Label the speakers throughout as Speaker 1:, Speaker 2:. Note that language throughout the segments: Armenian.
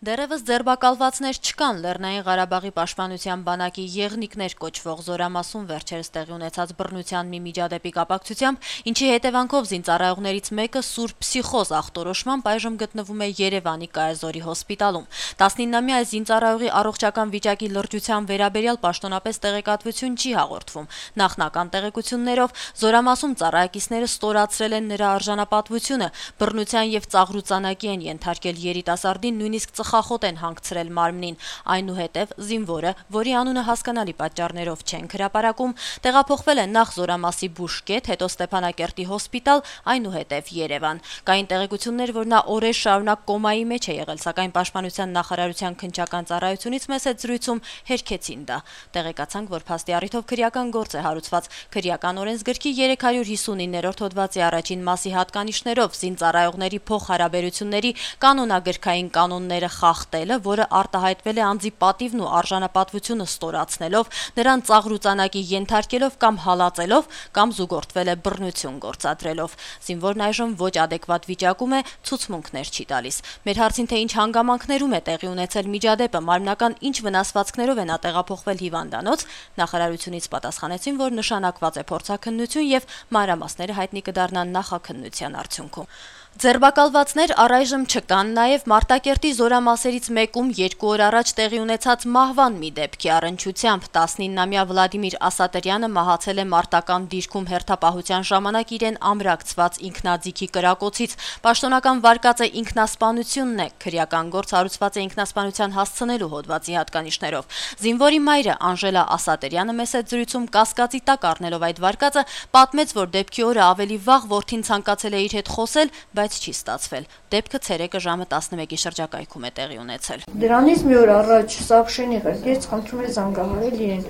Speaker 1: Դեռևս ձերբակալվածներ չկան Լեռնային Ղարաբաղի պաշտպանության բանակի եղնիկներ կոչվող Զորամասում վերջերս տեղի ունեցած բռնության մի միջադեպի կապակցությամբ, ինչի հետևանքով զինծառայողներից մեկը սուր փսիխոզ ախտորոշմամբ այժմ գտնվում է Երևանի Կայազորի հոսպիտալում։ 19-ամյա զինծառայողի առողջական վիճակի լրջության վերաբերյալ պաշտոնապես տեղեկատվություն չի հաղորդվում։ Նախնական տեղեկություններով Զորամասում ծառայակիցները ստորացրել են նրա արժանապատվությունը, բռնության եւ ծաղրուծանակի են ենթարկել երիտասարդին, նույնիսկ խախոտ են հանգցրել մարմնին, այնուհետև զինվորը, որի անունը հասկանալի պատճառներով չենք հրապարակում, տեղափոխվել է նախ Զորամասի բուժկետ, հետո Ստեփանակերտի հոսպիտալ, այնուհետև Երևան։ Կային տեղեկություններ, որ նա օրեր շարունակ կոմայի մեջ է եղել, սակայն Պաշտպանության նախարարության քննչական ծառայությունից մեծ հետ զրույցում հերքեցին դա։ Տեղեկացանք, որ փաստի առիթով քրեական գործ է հարուցված։ Քրեական օրենսգրքի 359-րդ հոդվածի առաջին մասի հատկանիշներով զինծառայողների փոխհարաբերությունների կանոնագրքային կանոնները խախտելը, որը արտահայտվել է անձի պատիվն ու արժանապատվությունը ստորացնելով, նրան ծաղրուծանակի ենթարկելով կամ հալածելով, կամ զուգորդվել է բռնություն գործադրելով։ Զինվորն այժմ ոչ ադեկվատ վիճակում է, ցուցմունքներ չի տալիս։ Մեր հարցին, թե ինչ հանգամանքներում է տեղի ունեցել միջադեպը, մարմնական ինչ վնասվածքներով է նա տեղափոխվել հիվանդանոց, նախարարությունից պատասխանեցին, որ նշանակված է փորձաքննություն եւ մանրամասները հայտնի կդառնան նախաքննության արդյունքում։ Ձերբակալվածներ առայժմ չկան, նաև Մարտակերտի զորամասերից մեկում 2 օր առաջ տեղի ունեցած մահվան մի դեպքի առնչությամբ 19-ամյա Վլադիմիր Ասատրյանը մահացել է մարտական դիրքում հերթապահության ժամանակ իրեն ամրակցված ինքնաձիգի կրակոցից։ Պաշտոնական վարկածը ինքնասպանությունն է, քրեական գործ հարուցված է ինքնասպանության հասցնելու հոդվածի հատկանիշներով։ Զինվորի մայրը Անժելա Ասատրյանը մեծ հետ զրույցում կասկածի տակ առնելով այդ վարկածը պատմեց, որ դեպքի օրը ավելի վաղ որդին ցանկացել է իր հետ խոսել, բայց չի ստացվել։ Դեպքը ցերեկը ժամը 11-ի շրջակայքում է տեղի ունեցել։
Speaker 2: Դրանից մի օր առաջ Սավշենի ղեկից խնդրում է զանգահարել իրեն։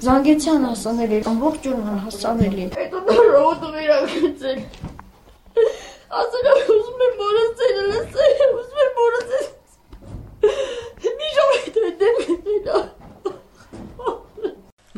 Speaker 2: Զանգեցյան հասանելի, ամբողջ օրն հասանելի։ Հետո ռոդը վերագծել։ Ասել եմ ուզում եմ մորացել, ուզում եմ մորացել։ Մի ժամ հետո դեպքը։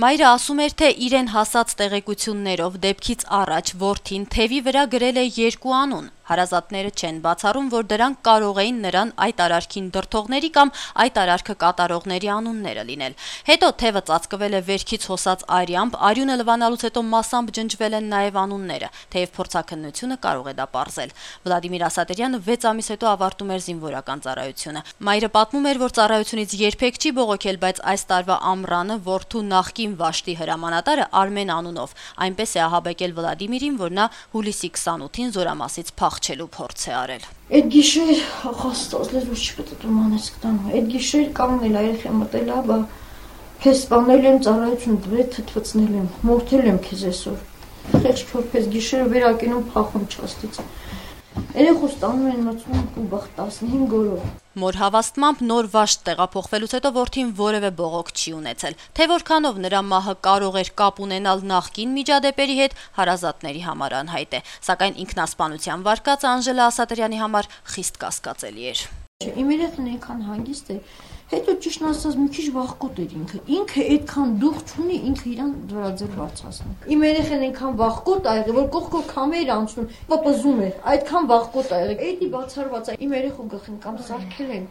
Speaker 1: Մայրը ասում էր, թե իրեն հասած տեղեկություններով դեպքից առաջ որդին թևի վրա գրել է 2 անուն։ Հարազատները չեն բացառում, որ դրանք կարող էին նրան այդ արարքին դրդողների կամ այդ արարքը կատարողների անունները լինել։ Հետո թևը ծածկվել է վերքից հոսած արյամբ, արյունը լվանալուց հետո մասամբ ջնջվել են նաև անունները, թեև փորձաքննությունը կարող է դա պարզել։ Վլադիմիր Ասատրյանը 6 ամիս հետո ավարտում էր զինվորական ծառայությունը։ Մայրը պատմում էր, որ ծառայությունից երբեք չի բողոքել, բայց այս տարվա ամռանը որդու նախկին վաշտի հրամանատարը Արմեն անունով այնպես է ահաբեկել Վլադիմիրին, որ նա հուլիսի 28-ին Զորամասից փախչելու փորձ է արել։
Speaker 2: Այդ գիշեր հաստատել ոչ չպետք մանես կտան։ Այդ գիշեր կանգնել երեխա մտել, բա քեզ սպանել եմ, ծառայություն դրե թթվցնել եմ, մորթել եմ քեզ այսօր։ Խեղճ քորպես գիշերը վերակենում փախում չաստից։ Երեխու ստանում են մտցում ու բախ 15 օրով։
Speaker 1: Մոր հավաստմամբ նոր վաշտ տեղափոխվելուց հետո որդին որևէ բողոք չի ունեցել, թե որքանով նրա մահը կարող էր կապ ունենալ նախկին միջադեպերի հետ, հարազատների համար անհայտ է, սակայն ինքնասպանության վարկածը Անժելա Ասատրյանի համար խիստ կասկածելի էր։
Speaker 2: Իմ երեխան այնքան հանգիստ է, հետո ճիշտ ասած մի քիչ վախկոտ էր ինքը այդքան դուխ չունի, ինքը իրան վրա ձեր բարձրացնում։ Իմ երեխան այնքան վախկոտ ա եղել, որ կողքով քամեր անցնում, պապզում էր, այդքան վախկոտ ա եղել։ Էդի բացառված է, իմ երեխու գլխին կամ սարքել են,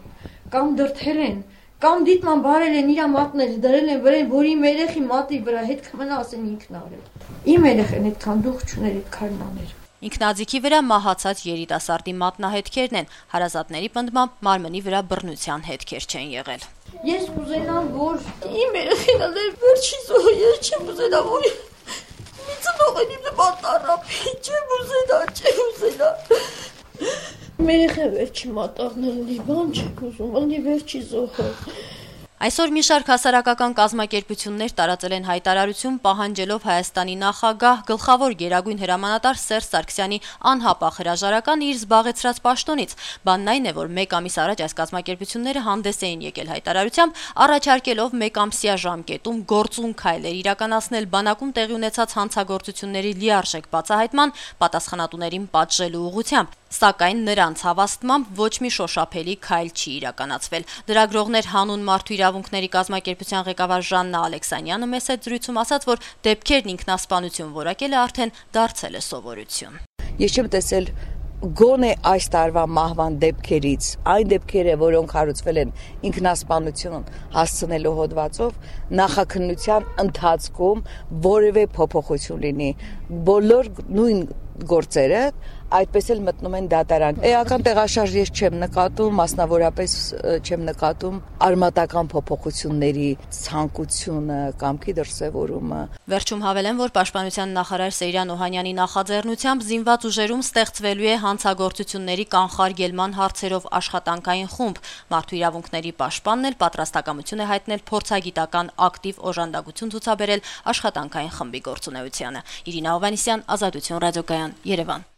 Speaker 2: կամ դրթել են, կամ դիտման բարել են իր մատները դրել են վրան, որ իմ երեխի մատի վրա հետ կմնա ասեն ինքն արել։ Իմ երեխան այդքան դուխ չուներ, այդքան աներ։
Speaker 1: Ինքնաձիգի վրա մահացած երիտասարդի մատնահետքերն են, հարազատների պնդմամբ մարմնի վրա բռնության հետքեր չեն եղել։
Speaker 2: Ես կուզենամ, որ իմ երեխին ալեր վերջի զոհը, ես չեմ ուզենա, որ մի ծնողն իմ մատառապի, չեմ ուզենա։ Իմ երեխան վերջի մատաղն էլի, բան չեք ուզում, ալի վերջի զոհը։
Speaker 1: Այսօր մի շարք հասարակական կազմակերպություններ տարածել են հայտարարություն պահանջելով Հայաստանի նախագահ գլխավոր գերագույն հրամանատար Սերժ Սարգսյանի անհապաղ հրաժարականը իր զբաղեցրած պաշտոնից։ Բանն այն է, որ 1 ամիս առաջ այս կազմակերպությունները հանդես էին եկել հայտարարությամբ, առաջարկելով 1 ամսյա ժամկետում գործուն քայլեր իրականացնել բանակում տեղի ունեցած հանցագործությունների լիարժեք բացահայտման, պատասխանատուներին պատժելու ուղղությամբ։ Սակայն նրանց հավաստմամբ ոչ մի շոշափելի քայլ չի իրականացվել։ Լրագրողներ հանուն մարդու իրավունքների կազմակերպության ղեկավար Ժաննա Ալեքսանյանը մեծ հետ զրույցում ասաց, որ դեպքերն ինքնասպանություն որակելը արդեն դարձել է սովորություն։
Speaker 3: Ես չեմ տեսել գոնե այս տարվա մահվան դեպքերից, այն դեպքերը, որոնք հարուցվել են ինքնասպանություն հասցնելու հոդվածով, նախաքննության ընթացքում որևէ փոփոխություն լինի։ Բոլոր նույն գործերը այդպես էլ մտնում են դատարան։ Էական տեղաշարժ ես չեմ նկատում, մասնավորապես չեմ նկատում արմատական փոփոխությունների ցանկությունը, կամքի դրսևորումը։
Speaker 1: Վերջում հավելեմ, որ Պաշտպանության նախարար Սեյրան Օհանյանի նախաձեռնությամբ զինված ուժերում ստեղծվելու է հանցագործությունների կանխարգելման հարցերով աշխատանքային խումբ։ Մարդու իրավունքների պաշտպանն էլ պատրաստակամություն է հայտնել փորձագիտական ակտիվ օժանդակություն ցուցաբերել աշխատանքային խմբի գործունեությանը։ Իրինա Հովհաննիսյան, Ազատություն ռադիոկայան, Երևան։